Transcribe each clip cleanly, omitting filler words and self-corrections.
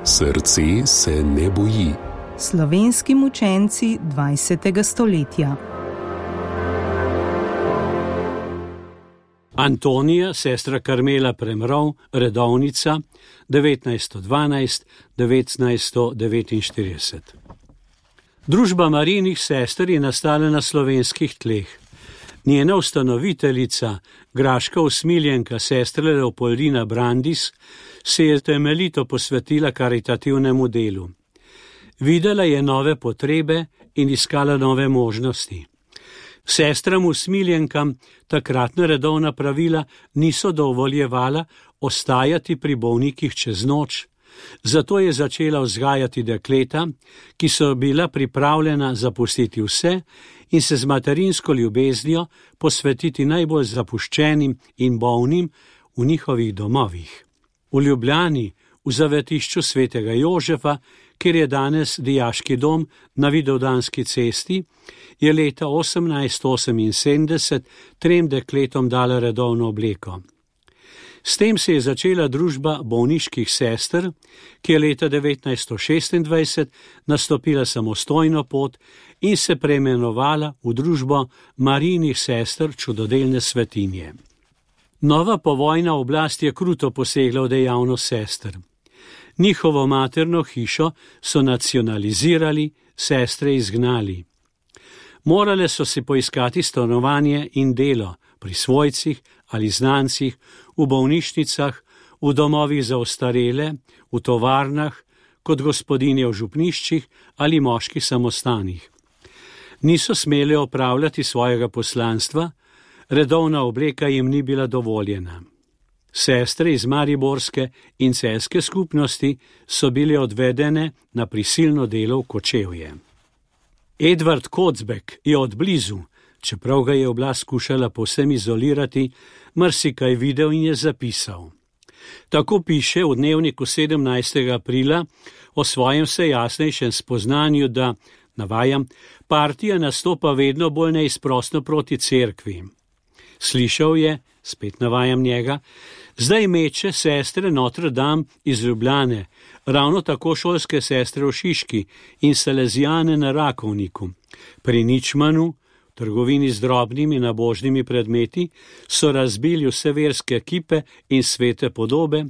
Srce se ne boji. Slovenski mučenci 20. stoletja. Antonija, sestra Karmela Premrov, redovnica, 1912–1949. Družba Marijinih sester je nastala na slovenskih tleh. Njena ustanoviteljica, graška usmiljenka sestra Leopoldina Brandis, se je temeljito posvetila karitativnemu delu. Videla je nove potrebe in iskala nove možnosti. Sestram usmiljenkam takratna redovna pravila niso dovoljevala ostajati pri bolnikih čez noč, zato je začela vzgajati dekleta, ki so bila pripravljena zapustiti vse in se z materinsko ljubeznijo posvetiti najbolj zapuščenim in bolnim v njihovih domovih. V Ljubljani, v zavetišču svetega Jožefa, kjer je danes dijaški dom na Vidovdanski cesti, je leta 1878 3 dekletom dala redovno obleko. S tem se je začela družba bolniških sester, ki je leta 1926 nastopila samostojno pot in se preimenovala v družbo Marijinih sester čudodelne svetinje. Nova povojna oblast je kruto posegla v dejavnost sester. Njihovo materno hišo so nacionalizirali, sestre izgnali. Morale so si poiskati stanovanje in delo pri svojcih ali znancih, v bolnišnicah, v domovih za ostarele, v tovarnah, kot gospodinje v župniščih ali moških samostanih. Niso smele opravljati svojega poslanstva, redovna obleka jim ni bila dovoljena. Sestre iz mariborske in celjske skupnosti so bile odvedene na prisilno delo v Kočevje. Edvard Kocbek je od blizu, čeprav ga je oblast skušala povsem izolirati, marsikaj videl in je zapisal. Tako piše v dnevniku 17. aprila o svojem vse jasnejšem spoznanju, da, navajam, partija nastopa vedno bolj neizprosno proti cerkvi. Slišal je, spet navajam njega, zdaj meče sestre Notre Dame iz Ljubljane, ravno tako šolske sestre v Šiški in salezijane na Rakovniku. Pri Ničmanu, trgovini z drobnimi nabožnimi predmeti, so razbili vse verske kipe in svete podobe,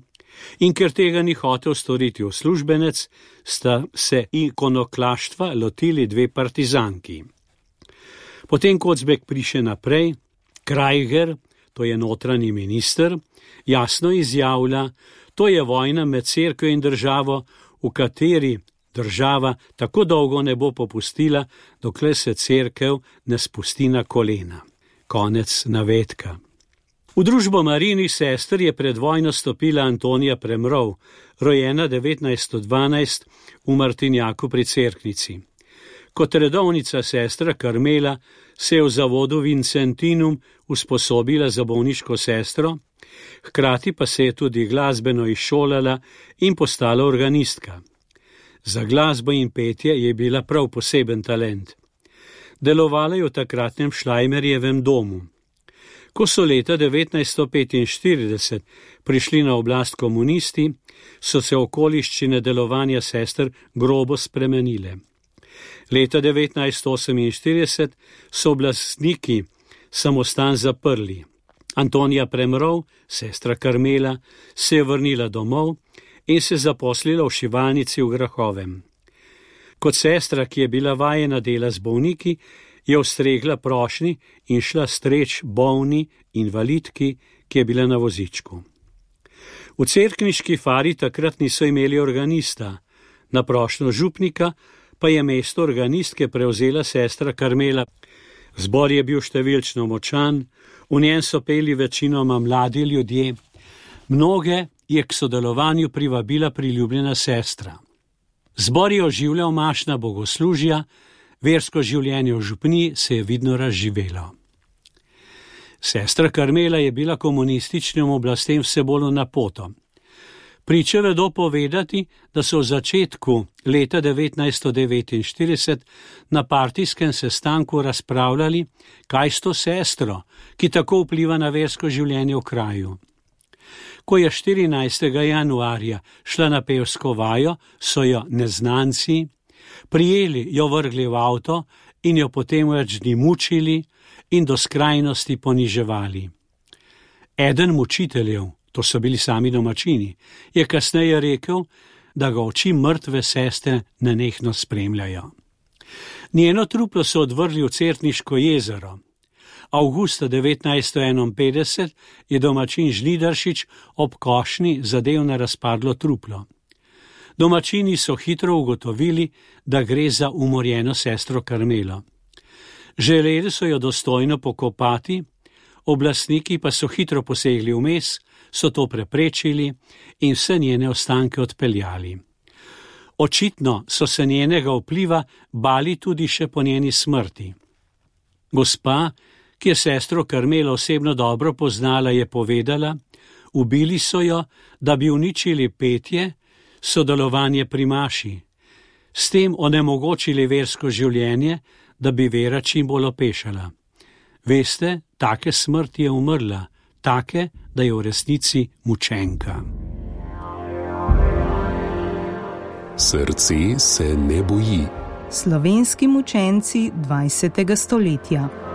in ker tega ni hotel storiti uslužbenec, sta se ikonoklaštva lotili 2 partizanki. Potem Kocbek piše naprej, Krajger, to je notranji minister, jasno izjavlja, to je vojna med cerkvo in državo, v kateri država tako dolgo ne bo popustila, dokler se cerkev ne spusti na kolena. Konec navedka. V družbo Marijinih sester je pred vojno stopila Antonija Premrov, rojena 1912 v Martinjaku pri Cerknici. Kot redovnica sestra Karmela se je v zavodu Vincentinum usposobila za bolniško sestro, hkrati pa se je tudi glasbeno izšolala in postala organistka. Za glasbo in petje je bila prav poseben talent. Delovala je v takratnem Šlajmerjevem domu. Ko so leta 1945 prišli na oblast komunisti, so se okoliščine delovanja sester grobo spremenile. Leta 1948 so oblastniki samostan zaprli. Antonija Premrov, sestra Karmela, se je vrnila domov in se zaposlila v šivalnici v Grahovem. Kot sestra, ki je bila vajena dela z bolniki, je ustregla prošnji in šla streč bolni invalidki, ki je bila na vozičku. V cerkniški fari takrat niso imeli organista, na prošnjo župnika pa je mesto organistke prevzela sestra Karmela. Zbor je bil številčno močan, v njem so peli večinoma mladi ljudje, mnoge je k sodelovanju privabila priljubljena sestra. Zbor je oživljal mašna bogoslužja, versko življenje v župni se je vidno razživelo. Sestra Karmela je bila komunističnim oblastem vse bolj napoto. Priče vedo povedati, da so v začetku leta 1949 na partijskem sestanku razpravljali, kaj s to sestro, ki tako vpliva na versko življenje v kraju. Ko je 14. januarja šla na pevsko vajo, so jo neznanci prijeli, jo vrgli v avto in jo potem več dni mučili in do skrajnosti poniževali. Eden mučiteljev, to so bili sami domačini, je kasneje rekel, da ga oči mrtve sestre nenehno spremljajo. Njeno truplo so odvrgli v Certniško jezero. Avgusta 1951 je domačin Žnidaršič ob košnji zadel na razpadlo truplo. Domačini so hitro ugotovili, da gre za umorjeno sestro Karmelo. Želeli so jo dostojno pokopati, oblastniki pa so hitro posegli vmes, so to preprečili in vse njene ostanke odpeljali. Očitno so se njenega vpliva bali tudi še po njeni smrti. Gospa, ki je sestro Karmelo osebno dobro poznala, je povedala, ubili so jo, da bi uničili petje, sodelovanje pri maši, s tem onemogočili versko življenje, da bi vera čim bolj opešala. Veste, take smrti je umrla, take, da je v resnici mučenka. Srce se ne boji. Slovenski mučenci 20. stoletja.